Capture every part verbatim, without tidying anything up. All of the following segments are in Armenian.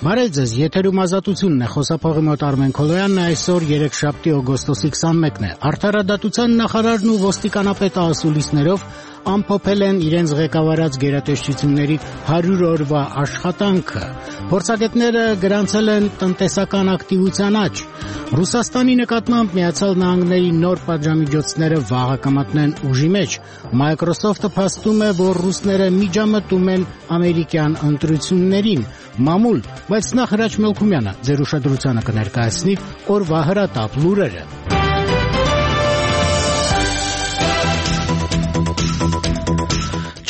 Բարև ձեզ, եթերում ազատությունն է, խոսափողի մոտ Արմեն Քոլոյանն է, այսօր երեքշաբթի օգոստոսի քսանմեկն է։ Արդարադատության նախարարն ու ոստիկանապետը ասուլիսներով ամփոփել են իրենց ղեկավարած գերատեսչությունների հարյուր օրվա աշխատանքը։ Փորձագետները գրանցել են տնտեսական ակտիվության աճ։ Ռուսաստանի նկատմամբ Միացյալ Նահանգների նոր պատժամիջոցները վաղը կմտնեն ուժի մեջ։ Microsoft-ը փաստում է, որ ռուսները միջամտում են ամերիկյան ընտրություններին։ Մամուլ, բայց նախ Հրաչ Մելքումյանը ձեր ուշադրությանը կներկայացնի օրվա հրատապ լուրերը։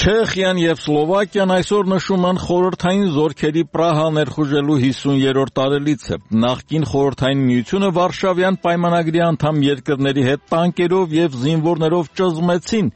Չեխիան եւ Սլովակիան այսօր նշում են խորհրդային զորքերի Պրահա ներխուժելու հիսուներորդ տարելիցը։ Նախկին խորհրդային միությունը Վարշավյան պայմանագրի անդամ երկրների հետ տանկերով եւ զինվորներով ճզմեցին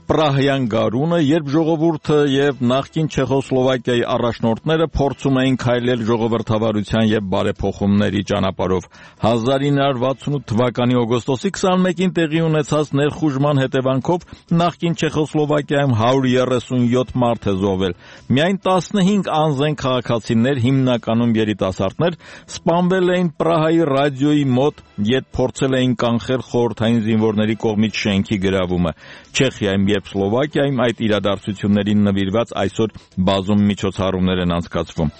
Պրահյան գարունը, երբ ժողովուրդը եւ նախկին Չեխոսլովակիայի առաջնորդները փորձում էին քայլել ժողովրդավարության եւ բարեփոխումների ճանապարհով։ հազար ինը հարյուր վաթսունութ թվականի օգոստոսի քսանմեկին տեղի ունեցած ներխուժման հետևանքով նախկին Չեխոսլովակիայում հարյուր երեսունյոթ մարդ է զոհվել։ Միայն տասնհինգ անզեն քաղաքացիներ, հիմնականում երիտասարդներ, սպանվել էին Պրահայի ռադիոյի մոտ, երբ փորձել էին կանխել խորհրդային զինվորների կողմից շենքի գրավումը։ Չեխիայում եւ Սլովակիայում այդ իրադարձություններին նվիրված այսօր բազում միջոցառումներ են անցկացվում։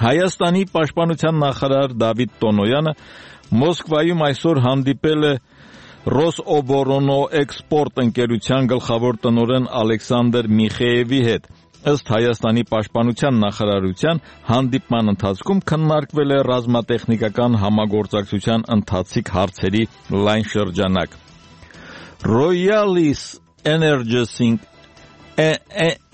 Հայաստանի պաշտպանության նախարար Դավիթ Տոնոյանը Մոսկվայում այսօր հանդիպել է Ռոսօբորոնոէքսպորտ ընկերության գլխավոր տնօրեն Ալեքսանդր Միխեևի հետ։ Ըստ Հայաստանի պաշտպանության նախարարության հանդիպման ընթացքում քննարկվել է ռազմատեխնիկական համագործակցության ընթացիկ հարցերի լայն շրջանակ։ Royalis Energy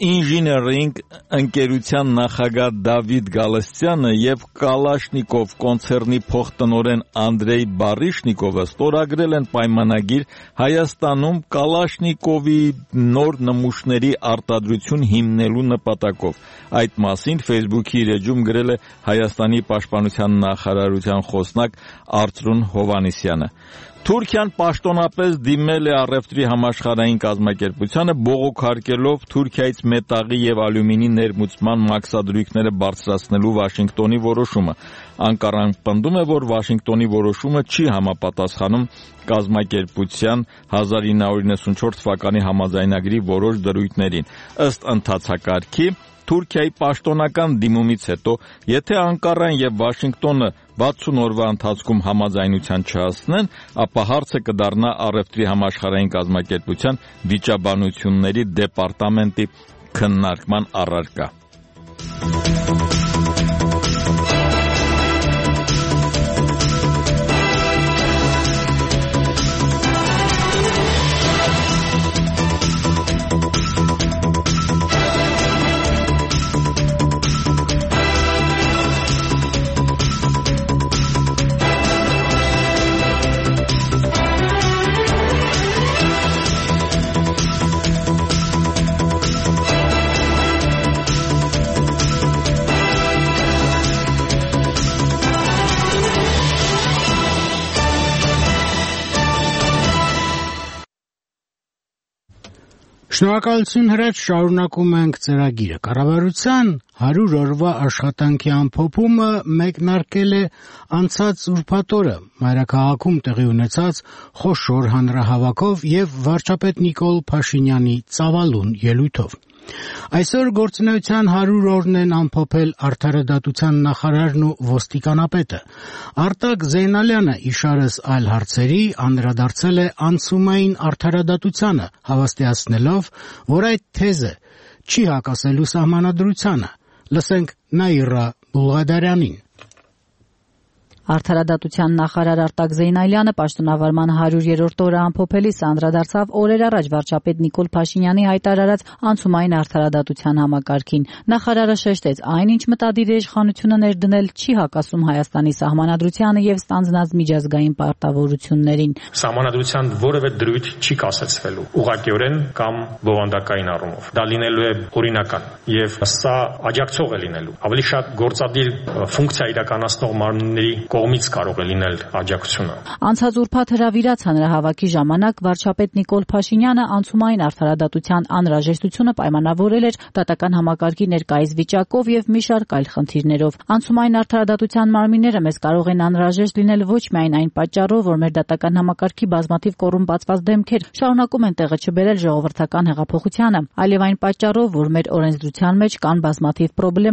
Engineering ընկերության նախագահ Դավիթ Գալստյանը եւ Կալաշնիկով կոնցեռնի փոխտնօրեն Անդրեյ Բարիշնիկովը ստորագրել են պայմանագիր Հայաստանում Կալաշնիկովի նոր նմուշների արտադրություն հիմնելու նպատակով։ Այդ մասին Facebook-ի իր էջում գրել է Հայաստանի պաշտպանության նախարարության խոսնակ Արծրուն Հովհաննիսյանը։ Թուրքիան պաշտոնապես դիմել է առևտրի համաշխարհային կազմակերպությանը բողոքարկելով Թուրքիայից մետաղի եւ ալյումինի ներմուծման մաքսադրույքները բարձրացնելու Վաշինգտոնի որոշումը։ Անկարան պնդում է, որ Վաշինգտոնի որոշումը չի համապատասխանում կազմակերպության հազար ինը հարյուր իննսունչորդ թվականի համաձայնագրի որոշ դրույթներին։ Ըստ ընթացակարգի Թուրքիայի պաշտոնական դիմումից հետո, եթե Անկարան եւ Վաշինգտոնը վաթսուն օրվա ընթացքում համաձայնության չհասնեն, ապա հարցը կդառնա առևտրի համաշխարհային կազմակերպության վիճաբանությունների դեպարտամենտի քննարկման առարկա։ Շնորհակալություն Հրաչ, շարունակում ենք ծրագիրը։ Կառավարության հարյուր օրվա աշխատանքի ամփոփումը մեկնարկել է անցած ուրբաթ օրը մայրաքաղաքում տեղի ունեցած խոշոր հանրահավաքով եւ վարչապետ Նիկոլ Փաշինյանի ծավալուն ելույթով։ Այսօր գործունեության հարյուր օրն են ամփոփել արդարադատության նախարարն ու ոստիկանապետը։ Արտակ Զեյնալյանը իշարս այլ հարցերի անդրադարձել է անցումային արդարադատությանը, հավաստիացնելով, որ այդ թեզը չի հակասելու սահմանադրությանը։ Լսենք Նաիրա Բուլղադարյանին։ Արդարադատության նախարար Արտակ Զեյնալյանը պաշտոնավարման հարյուրերորդ օրը ամփոփելիս անդրադարձավ օրեր առաջ վարչապետ Նիկոլ Փաշինյանի հայտարարած անցումային արդարադատության համակարգին։ Նախարարը շեշտեց, այն ինչ մտադիր է իշխանությունը ներդնել չի հակասում Հայաստանի սահմանադրությանը եւ ստանձնած միջազգային պարտավորություններին։ Սահմանադրության որևէ դրույթ չի կասեցվելու ուղղակիորեն կամ բովանդակային առումով։ Դա լինելու է օրինական եւ սա աջակցող է լինելու։ Ավելի շատ գործադիր ֆունկցիա իրականացնող մարմինների կողմից կարող է լինել աջակցությունը։ Անցած ուրբաթ հրավիրած հանրահավաքի ժամանակ վարչապետ Նիկոլ Փաշինյանը անցումային արդարադատության անհրաժեշտությունը պայմանավորել էր դատական համակարգի ներկայիս վիճակով եւ մի շարք այլ խնդիրներով։ Անցումային արդարադատության մարմինները մեզ կարող են անհրաժեշտ լինել ոչ միայն այն պատճառով, որ մեր դատական համակարգի բազմաթիվ կոռումպացված դեմքեր շարունակում են տեղը չբերել ժողովրդական հեղափոխությանը, այլև այն պատճառով, որ մեր օրենսդրության մեջ կան բազմաթիվ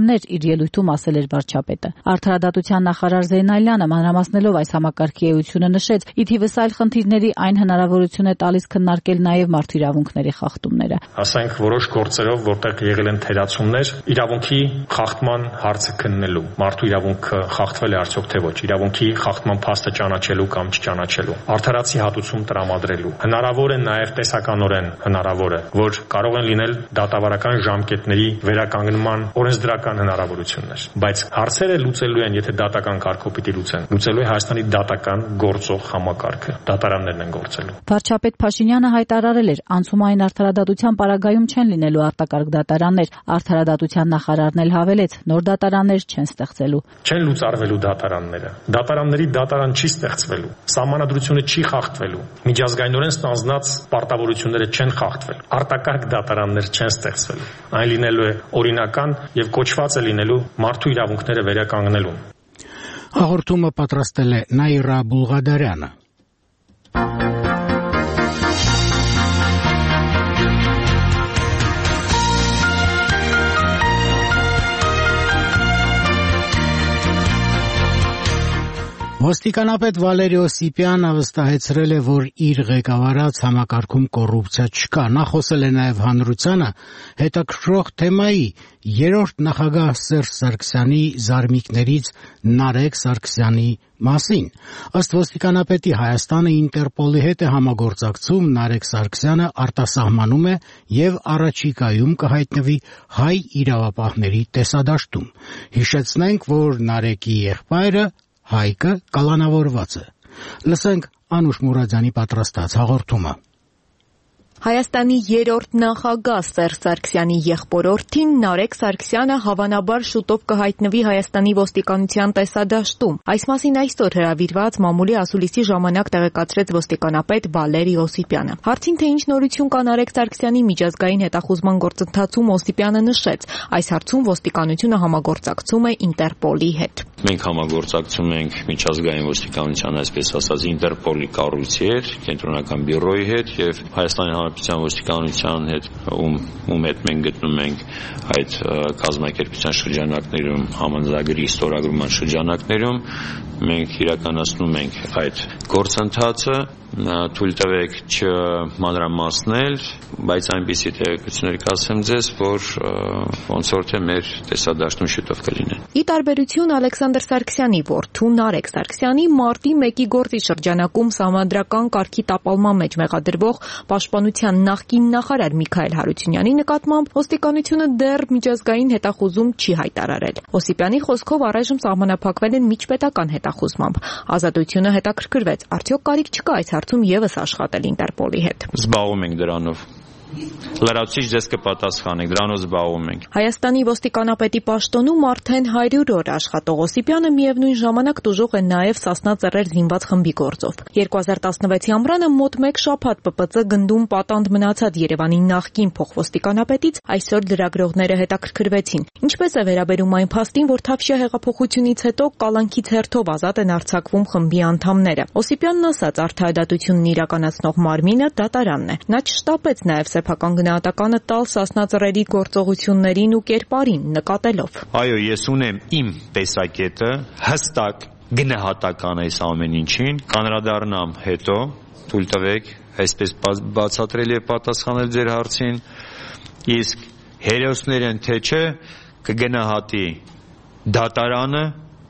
խնդիրներ, իր ելույթում ասել էր վարչապետը։ Արդարադատության նախարար Զեյնալյանը մանրամասնելով այս համակարգի էությունը նշեց, ի թիվս այլ խնդիրների այն հնարավորություն է տալիս քննարկել նաև մարդու իրավունքների խախտումները։ Ասենք որոշ գործերով, որտեղ եղել են թերացումներ, իրավունքի խախտման հարցը քննելու, մարդու իրավունքը խախտվել է արդյոք թե ոչ, իրավունքի խախտման փաստը ճանաչելու կամ չճանաչելու, արդարացի հատուցում տրամադրելու։ Հնարավոր է նաև տեսականորեն հնարավոր է, որ կարող են լինել դատավարական ժամկետների վերականգնման օրենսդրական հնարավորություններ, բայց հարցերը լուծելու են, եթե դատական կարգով պիտի լուծեն, լուծելու է Հայաստանի դատական գործող համակարգը, դատարաններն են գործելու։ Վարչապետ Փաշինյանը հայտարարել էր, անցումային արդարադատության պարագայում չեն լինելու արտակարգ դատարաններ, արդարադատության նախարարն էլ հավելեց, նոր դատարաններ չեն ստեղծելու։ Չեն լուծարվելու դատարանները, դատարանների դատարան չի ստեղծվելու, սահմանադրությունը չի խախտվելու, միջազգայինորեն ստանձնած պարտավորությունները չեն խախտվելու, արտակարգ դատարաններ չեն ստեղծվելու, այն լինելու է օրինական եւ կոչված է լինելու մարդու իրավունքները վերականգնելուն։ Հաղորդումը պատրաստել է Նաիրա Բուլղադարյանը։ Ոստիկանապետ Վալերի Օսիպյանը վստահեցրել է, որ իր ղեկավարած համակարգում կոռուպցիա չկա։ Նա խոսել է նաև հանրությանը հետաքրքրող թեմայի երրորդ նախագահ Սերժ Սարգսյանի զարմիկներից Նարեկ Սարգսյանի մասին։ Ըստ ոստիկանապետի Հայաստանը Ինտերպոլի հետ է համագործակցում, Նարեկ Սարգսյանը արտասահմանում է եւ առաջիկայում կհայտնվի հայ իրավապահների տեսադաշտում։ Հիշեցնենք, որ Նարեկի եղբայրը Հայկը կալանավորված է։ Լսենք Անուշ Մուրադյանի պատրաստած հաղորդումը։ Հայաստանի երրորդ նախագահ Սերժ Սարգսյանի եղբորորդին Նարեկ Սարգսյանը հավանաբար շուտով կհայտնվի Հայաստանի ոստիկանության տեսադաշտում։ Այս մասին այսօր հրավիրված մամուլի ասուլիսի ժամանակ տեղեկացրեց ոստիկանապետ Վալերի Օսիպյանը։ Հարցին, թե ինչ նորություն կա Նարեկ Սարգսյանի միջազգային հետախուզման գործընթացում, Օսիպյանը նշեց, այս հարցում ոստիկանությունը համագործակցում է Ինտերպոլի հետ։ Մենք համագործակցում ենք միջազգային ոստիկանության, այսպես ասած, Ինտերպոլի կառույցի հետ, կենտրոնական բյուրոյի հետ եւ Հայաստանի Հանրապետության ոստիկանության հետ, ում ում հետ մենք գտնում ենք այդ կազմակերպության շրջանակներում, համանձնագրի ստորագրման շրջանակներում, մենք իրականացնում ենք այդ գործընթացը, թույլ տվեք չմանրամասնել, բայց այնպիսի տեղեկություններ կասեմ ձեզ, որ ոնց որ թե մեր տեսադաշտում շուտով կլինեն։ Ի տարբերություն Ալեքսանդր Սարգսյանի որդու Նարեկ Սարգսյանի մարտի մեկի գործի շրջանակում սահմանադրական կարգի տապալման մեջ մեղադրվող պաշտպանության նախկին նախարար Միքայել Հարությունյանի նկատմամբ ոստիկանությունը դեռ միջազգային հետախուզում չի հայտարարել։ Օսիպյանի խոսքով առայժմ սահմանափակվել են միջպետական հետախուզմամբ։ Ազատությունը հետաքրքրվեց, արդյոք կարիք չկա այս հարցում եւս աշխատել Ինտերպոլի հետ։ Զբաղվում ենք դրանով։ Լրացուցիչ ձեզ կպատասխանենք, դրանով զբաղվում ենք։ Հայաստանի ոստիկանապետի պաշտոնում արդեն հարյուր օր աշխատող Օսիպյանը միևնույն ժամանակ տուժող է նաև Սասնա Ծռեր զինված խմբի գործով։ երկու հազար տասնվեցի ամռանը մոտ մեկ շաբաթ Պ Պ Ծ գնդում պատանդ մնացած Երևանի նախկին փոխոստիկանապետից այսօր լրագրողները հետաքրքրվեցին։ Ինչպես է վերաբերում այն փաստին, որ Թավշյա հեղափոխությունից հետո կալանքից հերթով ազատ են արձակվում խմբի անդամները։ Օսիպյանն ասաց, արդարադատությունն իրականացնող մարմինը դատարանն է։ Նա չշտապեց նաև սեփական գնահատականը տալ Սասնա Ծռերի գործողություններին ու կերպարին նկատելով։ Այո, ես ունեմ իմ տեսակետը, հստակ գնահատական այս ամեն ինչին, կանրադառնամ հետո, թույլ տվեք, այսպես բացատրելի է պատասխանել ձեր հարցին, իսկ հերոսներ են թե չէ, կգնահատի դատարանը,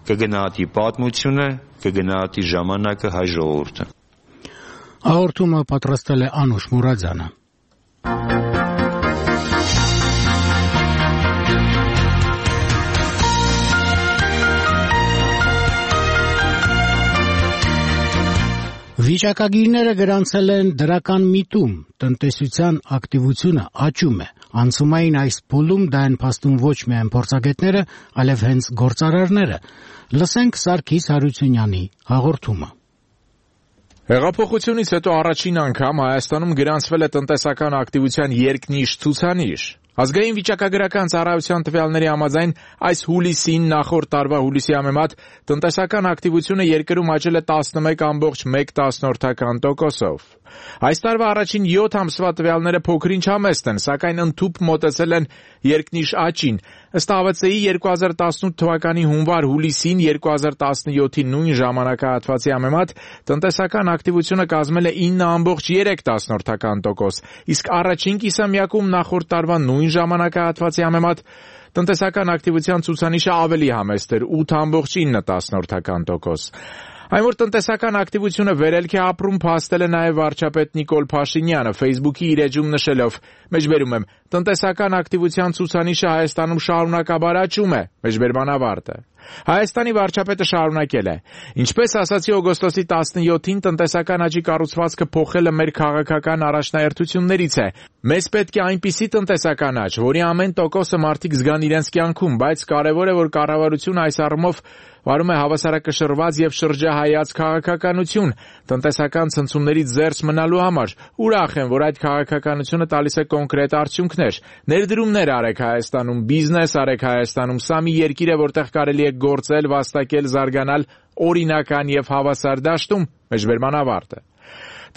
կգնահատի պատմությունը, կգնահատի ժամանակը, հայ ժողովուրդը։ Հաղորդումը պատրաստել է Անուշ Մուրադյանը։ Վիճակագիրները գրանցել են դրական միտում, տնտեսության ակտիվությունը աճում է, Անցումային այս փուլում դա են փաստում ոչ միայն փորձագետները, այլև հենց գործարարները։ Լսենք Սարգիս Հարությունյանի հաղորդումը։ Հեղափոխությունից հետո առաջին անգամ Հայաստանում գրանցվել է տնտեսական ակտիվության երկնիշ ցուցանիշ։ Ազգային վիճակագրական ծառայության տվյալների համաձայն այս հուլիսին նախորդ տարվա հուլիսի համեմատ տնտեսական ակտիվությունը երկրում աճել է տասնմեկ կόμma մեկ տոկոսով։ Այս տարվա առաջին յոթ ամսվա տվյալները փոքրինչ համեստ են, սակայն ընդհուպ մոտեցել են երկնիշ աճին։ Ըստ ա վե ցե-ի երկու հազար տասնութ թվականի հունվար-հուլիսին երկու հազար տասնյոթի նույն ժամանակահատվածի համեմատ տնտեսական ակտիվությունը կազմել է ինը կόμma երեք տոկոս, իսկ առաջին կիսամյակում նախորդ տարվա նույն ժամանակահատվածի համեմատ տնտեսական ակտիվության ցուցանիշը ավելի համեստ էր ութ կόμma ինը տոկոս։ Այն որ տնտեսական ակտիվությունը վերելք է ապրում, փաստել է նաև վարչապետ Նիկոլ Փաշինյանը Facebook-ի իր էջում նշելով. «Մեջբերում եմ, տնտեսական ակտիվության ցուցանիշը Հայաստանում շարունակաբար աճում է», մեջբերման ավարտը։ Հայաստանի վարչապետը շարունակել է. «Ինչպես ասացի օգոստոսի տասնյոթին, տնտեսական աճի կառուցվածքը փոխելը մեր քաղաքական առաջնահերթություններից է։ Մեզ պետք է այնպիսի տնտեսական աճ, որի ամեն տոկոսը մարդիկ զգան իրենց կյանքում, բայց կարևոր է, որ կառավարությունը այս առումով վարում է հավասարակշռված եւ շրջահայաց քաղաքականություն տնտեսական ցնցումներից զերծ մնալու համար։ Ուրախ եմ, որ այդ քաղաքականությունը տալիս է կոնկրետ արդյունքներ։ Ներդրումներ արեք Հայաստանում, բիզնես արեք Հայաստանում, սա մի երկիր է, որտեղ կարելի է գործել, վաստակել, զարգանալ օրինական եւ հավասար դաշտում», մեջբերման ավարտը։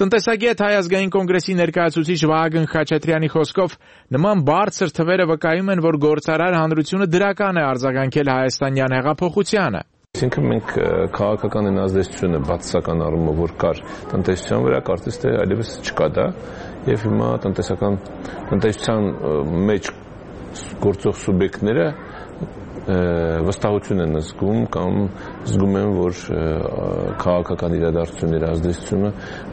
Տնտեսագետ Հայ ազգային կոնգրեսի ներկայացուցիչ Վահագն Խաչատրյանի խոսքով նման բարձր թվերը վկայում են, որ գործարար հանրությունը դրական է արձագանքել հայաստանյան հեղափոխությանը։ Այսինքն մենք քաղաքական են ազդեցությունը բացասական առումով որ կար տնտեսության վրա, կարծես թե այլևս չկա դա, եւ հիմա տնտեսական տնտեսության մեջ գործող սուբյեկտները վստահություն են զգում կամ զգում են, որ քաղաքական իրադարձությունների ազդեցությունը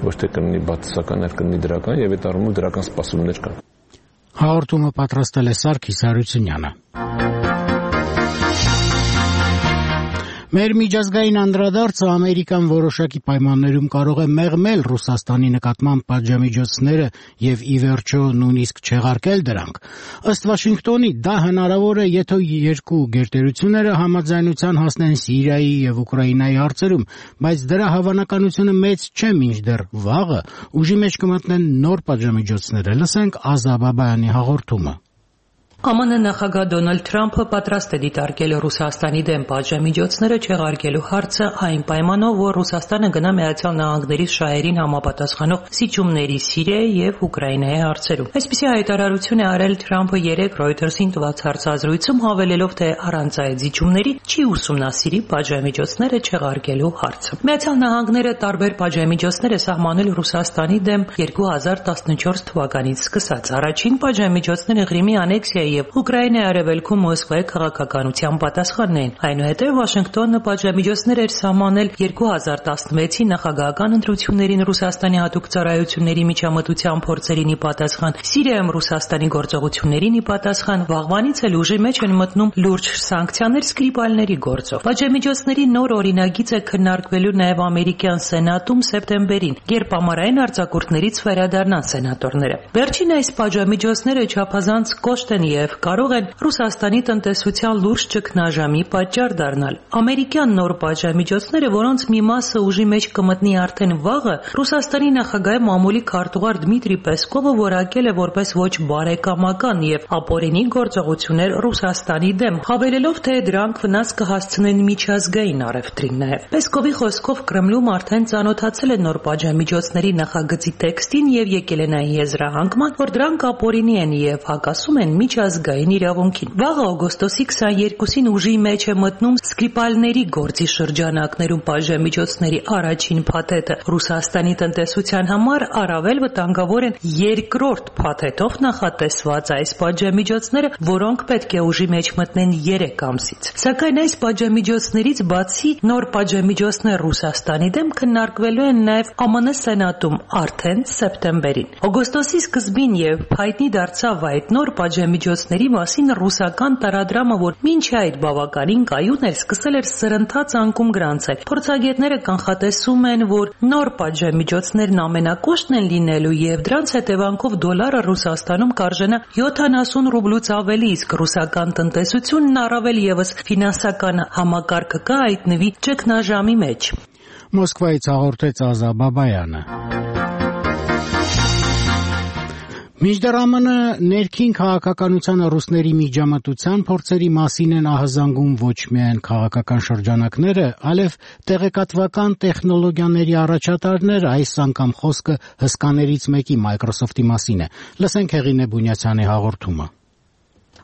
ոչ թե կլինի բացասական, այլ կլինի դրական, եւ այդ առումով դրական սպասումներ կան։ Հաղորդումը պատրաստել է Սարգիս Հարությունյանը։ Մեր միջազգային անդրադարձը Ամերիկան որոշակի պայմաններում կարող է մեղմել Ռուսաստանի նկատմամբ պատժամիջոցները եւ ի վերջո նույնիսկ չեղարկել դրանք։ Ըստ Վաշինգտոնի դա հնարավոր է, եթե երկու գերտերությունները համաձայնության հասնեն Սիրիայի եւ Ուկրաինայի հարցերում, բայց դրա հավանականությունը մեծ չէ մինչդեռ վաղը ուժի մեջ կմտնեն նոր պատժամիջոցները։ Լսենք Ազա Բաբայանի հաղորդումը։ Է Մ Ն նախագահ Դոնալդ Թրամփը պատրաստ է դիտարկել Ռուսաստանի դեմ պատժամիջոցները չեղարկելու հարցը այն պայմանով, որ Ռուսաստանը գնա Միացյալ Նահանգների շահերին համապատասխանող զիջումների Սիրիայի եւ Ուկրաինայի հարցերում։ Այսպիսի հայտարարություն է արել Թրամփը երեկ Reuters-ին տված հարցազրույցում, հավելելով, թե առանց այդ զիջումների չի ուսումնասիրի պատժամիջոցները չեղարկելու հարցը։ Միացյալ Նահանգները տարբեր պատժամիջոցներ է սահմանել Ռուսաստանի դեմ երկու հազար տասնչորս թվականից սկսած։ Առաջին պատժամիջոցները Ղրիմի անեքսիա եւ Ուկրաինայի արևելքում Մոսկվայի քաղաքականության պատասխանն էին։ Այնուհետև Վաշինգտոնը պատժամիջոցներ էր սահմանել երկու հազար տասնվեցի նախագահական ընտրություններին Ռուսաստանի հատուկ ծառայությունների միջամտության փորձերին ի պատասխան, Սիրիայում Ռուսաստանի գործողություններին ի պատասխան, վաղվանից էլ ուժի մեջ են մտնում լուրջ սանկցիաներ Սկրիպալների գործով։ Պատժամիջոցների նոր օրինագիծ է քննարկվելու նաև ամերիկյան սենատում սեպտեմբերին, երբ ամառային արձակուրդներից վերադառնան սենատորները։ Վերջին այս պատժամիջոցները չափազանց կոշտ են եւ կարող են Ռուսաստանի տնտեսության լուրջ ճգնաժամի պատճառ դառնալ։ Ամերիկյան նոր պատժամիջոցները, որոնց մի մասը ուժի մեջ կմտնի արդեն վաղը, Ռուսաստանի նախագահի մամուլի քարտուղար Դմիտրի Պեսկովը որակել է որպես ոչ բարեկամական եւ ապօրինի գործողություններ Ռուսաստանի դեմ, հավելելով, թե դրանք վնաս կհասցնեն միջազգային առևտրին նաեւ։ Պեսկովի խոսքով Կրեմլում արդեն ծանոթացել է նոր պատժամիջոցների նախագծի տեքստին եւ եկել են այն եզրահանգման, որ դրանք ապօրինի են եւ հակասում են միջազգային իրավունքին։ Վաղը օգոստոսի քսաներկուսին ուժի մեջ է մտնում Սկրիպալների գործի շրջանակներում պատժամիջոցների առաջին փաթեթը։ Ռուսաստանի տնտեսության համար առավել վտանգավոր են երկրորդ փաթեթով նախատեսված այս պատժամիջոցները, որոնք պետք է ուժի մեջ մտնեն երեք ամսից։ Սակայն այս պատժամիջոցներից բացի նոր պատժամիջոցներ Ռուսաստանի դեմ քննարկվելու են նաև Ա Մ Ն սենատում արդեն սեպտեմբերին։ Օգոստոսի սկզբին եւ հայտնի դարձավ այդ նոր պատժամիջոցների միջոցների մասին ռուսական տարադրամը, որ մինչ այդ բավականին կայուն էր, սկսել էր սրընթաց անկում գրանցել։ Փորձագետները կանխատեսում են, որ նոր պատժամիջոցներն ամենակոշտն են լինելու եւ դրանց հետևանքով դոլարը Ռուսաստանում կարժենա յոթանասուն ռուբլուց ավելի, իսկ ռուսական տնտեսությունն առավել եւս ֆինանսական համակարգը կհայտնվի ճգնաժամի մեջ։ Մոսկվայից հաղորդեց Ազա Բաբայանը։ Մինչդեռ ԱՄՆ ներքին քաղաքականությանը ռուսների միջամտության փորձերի մասին են ահազանգում ոչ միայն քաղաքական շրջանակները, այլև տեղեկատվական տեխնոլոգիաների առաջատարները, այս անգամ խոսքը հսկաներից մեկի Microsoft-ի մասին է։ Լսենք Հեղինե Բունյացյանի հաղորդումը։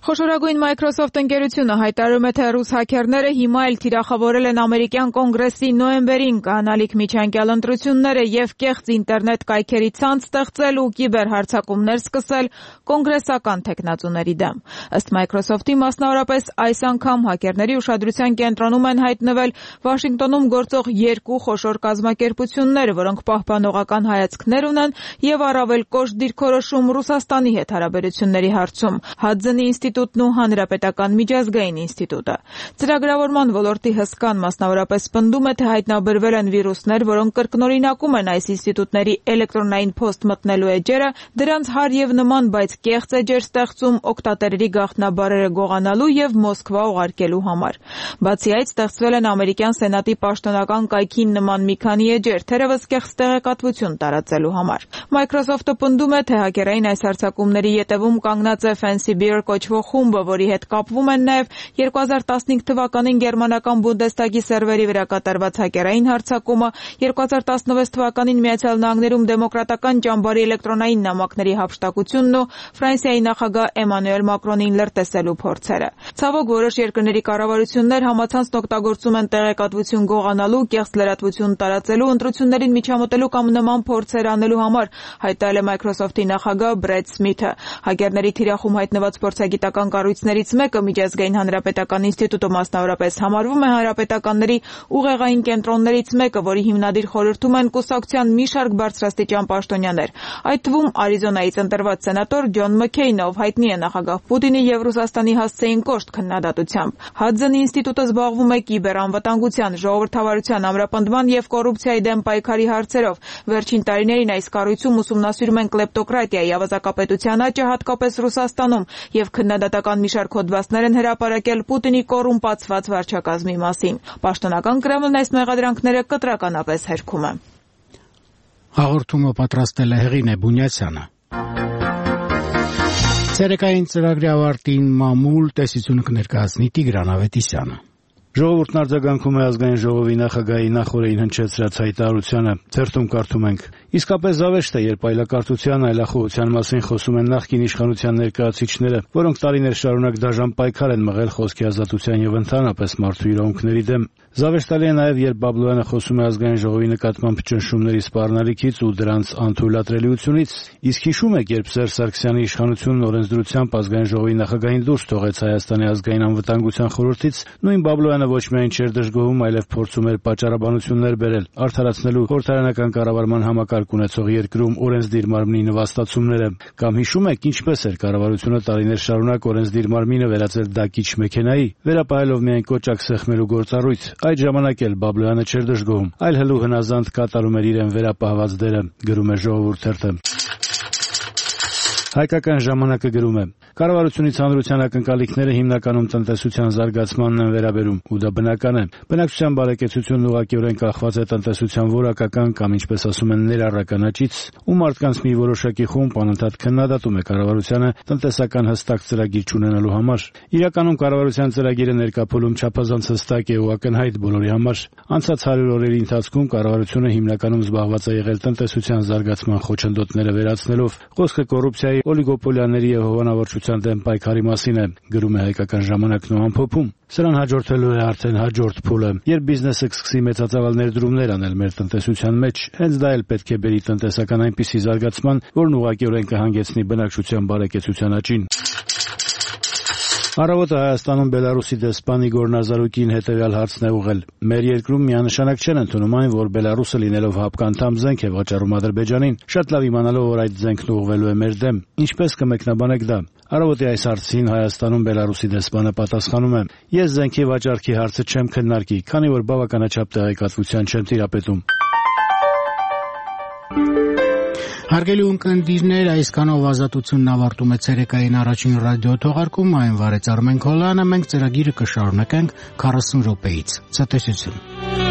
Խոշորագույն Microsoft ընկերությունը հայտարարում է, թե ռուս հաքերները հիմա էլ թիրախավորել են ամերիկյան կոնգրեսի նոյեմբերին կանալիք միջանկյալ ընտրությունները եւ կեղծ ինտերնետ կայքերի ցանց ստեղծել ու կիբերհարձակումներ սկսել կոնգրեսական թեկնածուների դեմ։ Ըստ Microsoft-ի, մասնավորապես այս անգամ հաքերների ուշադրության կենտրոնում են հայտնվել Վաշինգտոնում գործող երկու խոշոր կազմակերպություններ, որոնք պահպանողական հայացքներ ունեն եւ առավել կոշտ դիրքորոշում Ռուսաստանի հետ հարաբերությունների հարցում։ Հադզենի ինստիտուտն ու Հանրապետական միջազգային ինստիտուտը։ Ծրագրավորման ոլորտի հսկան մասնավորապես պնդում է, թե հայտնաբերվել են վիրուսներ, որոնք կրկնօրինակում են այս ինստիտուտների էլեկտրոնային փոստ մտնելու էջերը, դրանց հարև նման, բայց կեղծ էջեր ստեղծում օգտատերերի գաղտնաբառերը գողանալու եւ Մոսկվա ուղարկելու համար։ Բացի այդ, ստեղծվել են ամերիկյան սենատի պաշտոնական կայքին նման մի քանի էջեր, թերևս կեղծ տեղեկատվություն տարածելու համար։ Microsoft-ը պնդում է, թե հակերային այս հարձակումների ետևում կանգնած է Fancy Bear կոչվող խումբը, որի հետ կապվում են նաև երկու հազար տասնհինգ թվականին գերմանական Բունդեստագի սերվերի վրա կատարված հակերային հարձակումը, երկու հազար տասնվեց թվականին Միացյալ Նահանգներում դեմոկրատական ճամբարի էլեկտրոնային նամակների հափշտակությունն ու Ֆրանսիայի նախագահ Էմանուել Մակրոնին լրտեսելու փորձերը։ Ցավոք, որոշ երկրների կառավարություններ համացանցն օգտագործում են տեղեկատվություն գողանալու, կեղծ լրատվություն տարածելու, ընտրություններին միջամտելու կամ նման փորձեր անելու համար, հայտարարել է Microsoft-ի նախագահ Բրեդ Սմիթը։ Հակերների թիրախում հայտնված փորձագիտական կառույցներից մեկը Միջազգային հանրապետական ինստիտուտը մասնավորապես համարվում է հանրապետականների ուղեղային կենտրոններից մեկը, որի հիմնադիր խորհրդում են կուսակցության մի շարք բարձրաստիճան պաշտոնյաներ, այդ թվում Արիզոնայից ընտրված սենատոր Ջոն Մքեյնը, ով հայտնի է նախագահ Պուտինի եւ Ռուսաստանի հասցեին կոշտ քննադատությամբ։ Հադզենի ինստիտուտը զբաղվում է կիբերանվտանգության, ժողովրդավարության, ամրապնդման եւ կոռուպցիայի դեմ պայքարի հարցերով։ Վերջին տարիներին այս կառույցում ուսումնասիրում են կլեպտոկրատիայի, ավազակապետության աճը, հատկապես Ռուսաստանում, եւ քննադատական մի շարք հոդվածներ են հրապարակել Պուտինի կոռումպացված վարչակազմի մասին։ Պաշտոնական Կրեմլն այս մեղադրանքները կտրականապես հերքում է։ Հաղորդումը պատրաստել է Հեղինե Բունյացյանը։ Ցերեկային ծրագրի ավարտին մամուլ տեսությունը կներկայացնի Տիգրան Ավետիսյանը։ Ժողովուրդն արձագանքում է ազգային ժողովի նախագահի նախօրեին հնչեցրած հայտարարությանը։ Թերթում կարդում ենք. Իսկապես զավեշտ է, երբ այլակարծության, այլախոհության մասին խոսում են նախկին իշխանության ներկայացուցիչները, որոնք տարիներ շարունակ դաժան պայքար են մղել խոսքի ազատության եւ ընդհանրապես մարդու իրավունքների դեմ։ Զավեշտալի է նաեւ, երբ Բաբլոյանը խոսում է ազգային ժողովի նկատմամբ ճնշումների սպառնալիքից ու դրանց անթույլատրելիությունից։ Իսկ հիշում եք, երբ Սերժ Սարգսյանի իշխանությունն օրենսդրությամբ ազգային ժողովի նախագահին դուրս թողեց Հայաստանի ազգային անվտանգության խորհրդից, նույն Բաբլոյանը ոչ միայն չէր դժգոհում, այլև փորձում էր պատճառաբանություններ բերել, արդարացնելու խորհրդարանական կառավարման համակարգ ունեցող երկրում օրենսդիր մարմնի նվաստացումները։ Կամ հիշում եք, ինչպես էր կառավարությունը տարիներ շարունակ օրենսդիր մարմինը վերածել դակիչ մեքենայի, վերապահելով միայն կոճակ սեղմելու գործառույթ։ Այդ ժամանակ էլ Բաբլոյանը չէր դժգոհում, այլ հլու հնազանդ կատարում էր իրեն վերապահված դերը, գրում է Ժողովուրդ թերթը։ Հայկական ժամանակը գրում է. Կառավարությունից հանրության ակնկալիքները հիմնականում տնտեսության զարգացմանն են վերաբերում, ու դա բնական է։ Բնակչության բարեկեցությունն ուղղակիորեն կախված է տնտեսության որակական կամ, ինչպես ասում են, ներառական աճից, ու մարդկանց մի որոշակի խումբ անընդհատ քննադատում է կառավարությանը տնտեսական հստակ ծրագիր չունենալու համար։ Իրականում կառավարության ծրագիրը ներկայացում չափազանց հստակ է ու ակնհայտ բոլորի համար։ Անցած հարյուր օրերի ընթացքում կառավարությունը հիմնականում զբաղված է եղել տնտեսության զարգացման խոչընդոտները վերացնելով, խոսքը կոռուպցիայի, օլիգոպոլիաների եւ հովանավորչության դեմ պայքարի մասին է, գրում է Հայկական ժամանակն ու ամփոփում։ Սրան հաջորդելու է արդեն հաջորդ փուլը, երբ բիզնեսը կսկսի մեծածավալ ներդրումներ անել մեր տնտեսության մեջ, հենց դա էլ պետք է բերի տնտեսական այնպիսի զարգացման, որն ուղղակիորեն կհանգեցնի բնակչության բարեկեցության աճին։ Առավոտը Հայաստանում Բելարուսի դեսպան Իգոր Նազարուկին հետևյալ հարցն է ուղղել. Մեր երկրում միանշանակ չեն ընդունում այն, որ Բելարուսը լինելով հապկանթամ զենք է վաճառում Ադրբեջանին, շատ լավ իմանալով, որ այդ զենքն ուղղվելու է մեր դեմ։ Ինչպես կմեկնաբանեք դա։ Առավոտի այս հարցին Հայաստանում Բելարուսի դեսպանը պատասխանում է. Ես զենքի վաճառքի հարցը չեմ քննարկի, քանի որ բավականաչափ տեղեկատվության չեմ տիրապետում։ Հարգելի ունկնդիրներ, այսքանով ազատությունն ավարտում է ցերեկային առաջին ռադիո թողարկումը, այն վարեց Արմեն Քոլյանը, մենք ծրագիրը կշարունակենք քառասուն րոպեից։ Ցտեսություն։